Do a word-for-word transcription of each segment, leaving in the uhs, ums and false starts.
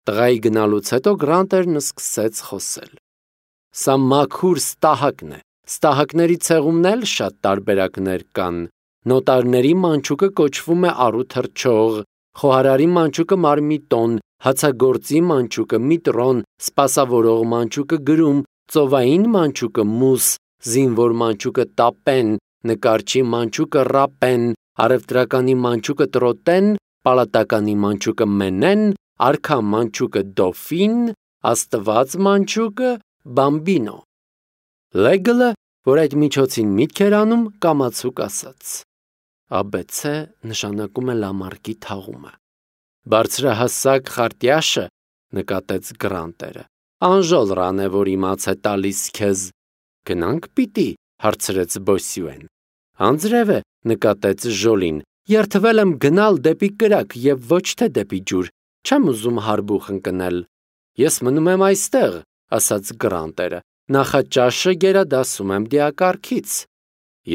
Տղայի գնալուց հետո Գրանտերն սկսեց խոսել. Սա մաքուր ստահակն է, ստահակների ցեղումն էլ շատ տարբերակներ կան, նոտարների մանչուկը կոչվում է առու թռչող, խոհարարի մանչուկը մարմիտոն, հացագործի մանչուկը միտրոն, սպասավորող մանչուկը գրում, ծովային մանչուկը մուս, զինվոր մանչուկը տապեն, նկարչի մանչուկը ռապեն, առևտրականի մանչուկը տրոտեն, պալատականի մանչուկը մենեն, արքա մանչուկը դոֆին, աստված մանչուկը բամբինո։ Լեգլը, որ այդ միջոցին միտք էր անում, կամացուկ ասաց. Աբեցե նշանակում է լամարկի թաղումը։ Բարձրահասակ խարտյաշը, նկատեց Գրանտերը, անժոլռան է, որ իմաց է տալիս քեզ։ Գնանք պիտի, հարցրեց Բոսյուեն։ Անձրև է, նկատեց Ժոլին, երթվել եմ գնալ դեպի կրակ և ոչ թե դեպի ջուր, չեմ ուզում հարբուխ ընկնել։ Ես մնում եմ այստեղ, ասաց Գրանտերը, նախաճաշը գերադասում եմ դիակարգից։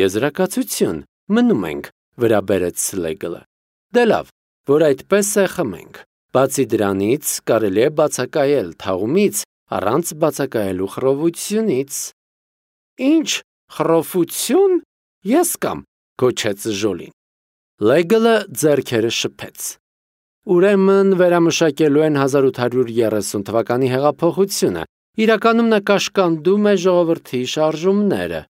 Եզրակացություն, մնում ենք, վրա բերեց Սլեգլը։ Դե լավ, որ այդպես է խմենք։ Բացի դրանից կարելի է բացակայել թաղումից առանց բացակայելու խռովությունից։ Ինչ խռովություն, ես կամ, գոչեց Ժոլին։ Լեգլը ձեռքերը շփեց։ Ուրեմն վերամշակելու են հազար ութ հարյուր երեսուն թվականի հեղափոխությունը, իրականում նա կաշկանդում է ժողովրդի շարժումները։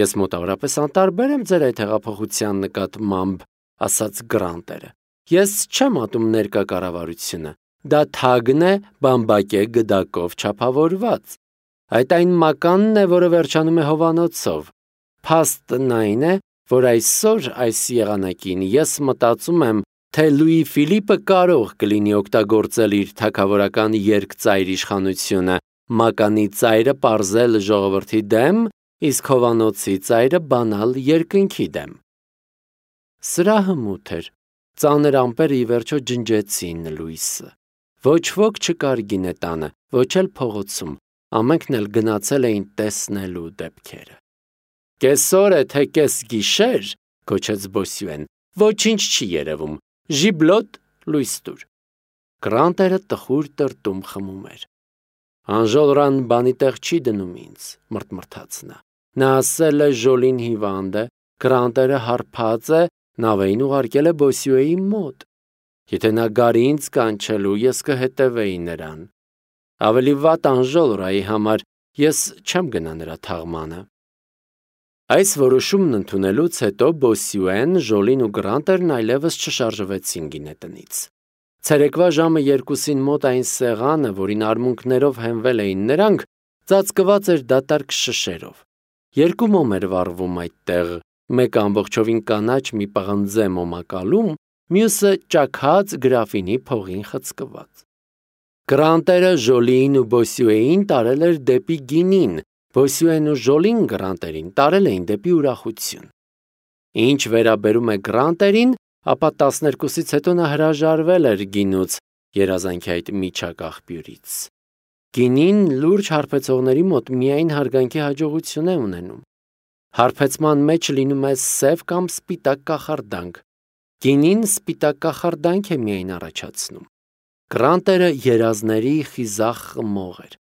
Ես մոտավորապես անտարբեր եմ ձեր այդ հեղափոխության նկատմամբ, ասաց Գրանտերը։ Ես չեմ ատում ներկա կառավարությունը, դա թագն է բամբակե գդակով չափավորված։ Այդ այն մականն է, որը վերջանում է հովանոցով։ Փաստն այն է, որ այսօր այս եղանակին ես մտածում եմ, թե Լուի Ֆիլիպը կարող կլինի օգտագործել իր թագավորական երկծայր իշխանությունը, մականի ծայրը պարզել ժողովրդի դեմ, իսկ հովանոցի ծայրը բանալ երկնքի դեմ։ Սրահը մութ էր, ծանր ամպերը ի վերջո ջնջեցին լույսը։ Ոչ ոք չկար գինետանը, ոչ էլ փողոցում, ամենքն էլ գնացել էին տեսնելու դեպքերը։ Կեսօր է, թե կես գիշեր, գոչեց Բոսյուեն, ոչինչ չի երևում, ժիբլոտ լույս տուր։ Գրանտերը տխուր տրտում խմում էր։ Անժոլռան բանի տեղ չի դնում ինձ, մրթմրթաց նա։ Նա ասել է Ժոլին հիվանդ է, Գրանտերը հարբած է, նավեին ուղարկել է Բոսյուեի մոտ։ Եթե նա գարի ինձ կանչելու, ես կհետևեի նրան։ Ավելի վատ անժոլռայի համար ես չեմ գնա նրա թաղմանը։ Այս որոշումն ընդունելուց հետո Բոսյուեն, Ժոլին ու Գրանտերն այլևս չշարժվեցին գինետնից։ Ցերեկվա ժամը երկուսին մոտ այն սեղանը, որին արմունկներով հենվել էին նրանք, ծածկված էր դատարկ շշերով։ Երկու մոմ էր վառվում այդտեղ, մեկը ամբողջովին կանաչ մի պղնձե մոմակալում, մյուսը ճաքած գրաֆինի փողին խցկված։ Գրանտերը Ժոլիին ու Բոսյուեին տարել էր դեպի գինին, Բոսյուեն ու Ժոլին Գրանտերին տարել էին դեպի ուրախություն։ Ինչ վերաբերում է Գրանտերին, ապա տասներկուսից հետո նա հրաժարվել էր գինուց, երազանքի այդ միջակ աղբյուրից։ Գինին լուրջ հարբեցողների մոտ միայն հարգանքի հաջողություն է ունենում։ Հարբեցման մեջ լինում է սև կամ սպիտակ կախարդանք։ Գինին սպիտակ կախարդանք է միայն առաջացնում։ Գրանտերը երազների խիզախ խմող էր։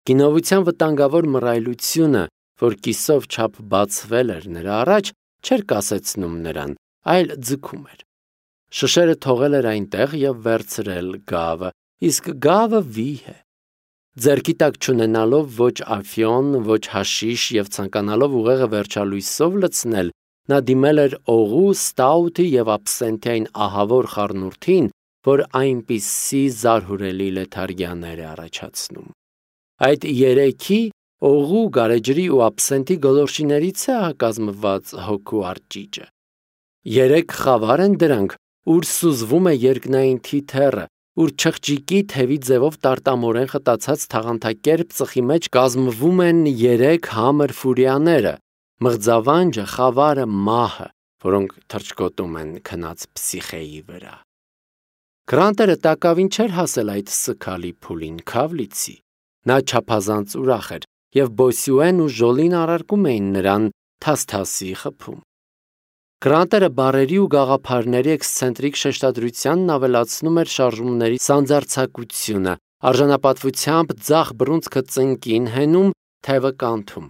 Գինովության վտանգավոր մռայլությունը, որ կիսով չափ բացվել էր նրա առաջ, չէր կասեցնում նրան, այլ ձգում էր։ Շշերը թողել էր այնտեղ և վերցրել գավը, իսկ գավը վիհ է։ Ձեռքի տակ չունենալով ոչ աֆիոն, ոչ հաշիշ և ցանկանալով ուղեղը վերջալույսով լցնել, նա դիմել էր օղու, ստաութի և աբսենթային ահավոր խառնուրդին, որ այնպիսի զարհուրելի լեթարգիաներ է առաջացնում։ Այդ երեքի, օղու, գարեջրի ու աբսենթի գոլորշիներից է հակազմված հոգու արճիճը։ Երեք խավար են դրանք, ուր սուզվում է երկնային թիթեռը, ուր չղջիկի թևի ձևով տարտամորեն խտացած թաղանթակերպ ծխի մեջ կազմվում են երեք համր ֆուրիաները, մղձավանջը, խավարը, մահը, որոնք թռչկոտում են քնած պսիխեի վրա։ Գրանտերը տակավին չէր հասել այդ սգալի փուլին, քավլիցի։ Նա չափազանց ուրախ էր, և Բոսյուեն ու Ժոլին առարկում էին նրան թասթասի խփում։ Գրանտերը բառերի ու գաղափարների էքսցենտրիկ շեշտադրությանն ավելացնում էր շարժումների սանձարձակությունը, արժանապատվությամբ ձախ բռունցքը ծնկին հենում, թևը կանթում։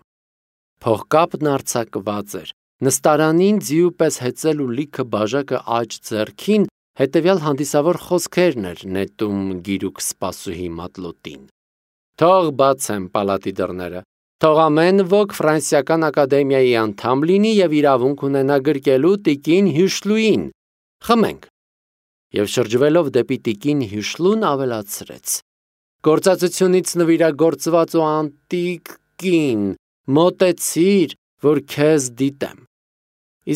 Փողկապն արձակված էր, նստարանին ձիու պես հեծել ու լիքը բաժակը աջ ձեռքին, հետևյալ հանդիսավոր խոսքերն էր նետում գիրուկ սպասուհի մատլոտին. «Թող բացեմ պալատի դռները, թող ամեն ոք Ֆրանսիական ակադեմիայի անդամ լինի և իրավունք ունենա գրկելու տիկին Հյուշլուին, խմենք»։ Եվ շրջվելով դեպի տիկին Հյուշլուն ավելացրեց. «Գործածությունից նվիրագործված ու անտիկ կին, մոտեցիր, որ քեզ դիտեմ»։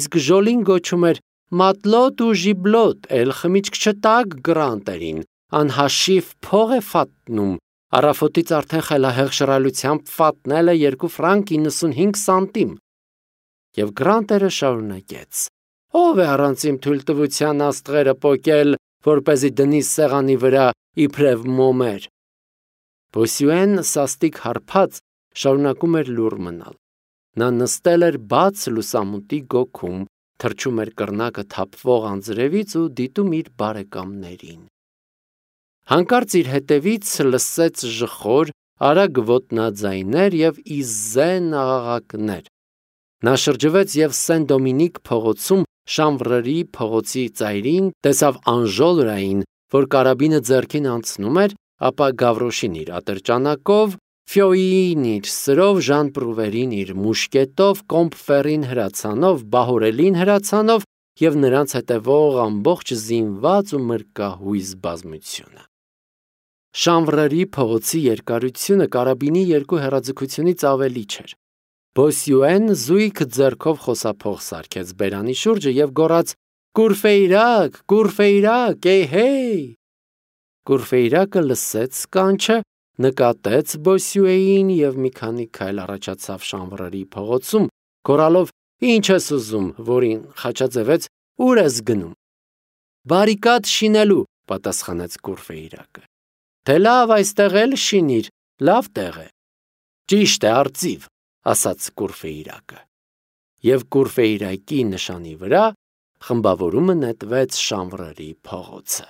Իսկ Ժոլին գոչում էր. «Մատլոտ ու ժիբլոտ, էլ խմիչք չտաք Գրանտերին, անհաշիվ փող է ֆատնում, առավոտից արդեն խելահեղ շռայլությամբ ֆատնել է երկու ֆրանկ իննսունհինգ սանտիմ»։ Եվ Գրանտերը շարունակեց. «Ո՞վ է առանց իմ թույլտվության աստղերը պոկել, որպեսզի դնի սեղանի վրա իբրև մոմեր»։ Բոսյուեն սաստիկ հարբած շարունակում էր լուռ մնալ։ Նա նստել էր բաց լուսամուտի գոգում, թռչում էր կռնակը թափվող անձրևից ու դիտում իր բարեկամներին։ Հանկարծ իր հետևից լսեց ժխոր, արագ ոտնաձայներ և իզեն աղաղակներ։ Նա շրջվեց և Սեն Դոմինիկ փողոցում Շանվրերի փողոցի ծայրին տեսավ Անժոլրային, որ կարաբինը ձեռքին անցնում էր, ապա Գավրոշին իր ատրճանակով, Ֆյոիին իր սրով, Ժան Պրուվերին իր մուշկետով, Կոմպֆերին հրացանով, Բահորելին հրացանով և նրանց հետևող ամբողջ զինված ու մրկահույս բազմությունը։ Շանվրերի փողոցի երկարությունը կարաբինի երկու հեռաձգությունից ավելի չէր։ Բոսյուեն զույգ ձեռքով խոսափող սարքեց բերանի շուրջը և գոռաց. «Կուրֆեյրակ, Կուրֆեյրակ, էյ-հեյ»։ Կուրֆեյրակը լսեց կանչը, նկատեց Բոսյուեին և մի քանի քայլ առաջացավ Շանվրերի փողոցում, գոռալով. «Ի՞նչ ես ուզում, որին խաչաձևեց, ո՞ւր ես գնում»։ «Բարիկադ շինելու», պատասխանեց Կուրֆեյրակը։ «Թե լավ, այստեղ էլ շինիր, լավ տեղ է»։ «Ճիշտ է, արծիվ», ասաց Կուրֆեյրակը։ Եվ Կուրֆեյրակի նշանի վրա խմբավորումը նետվեց Շանվրերի փողոցը։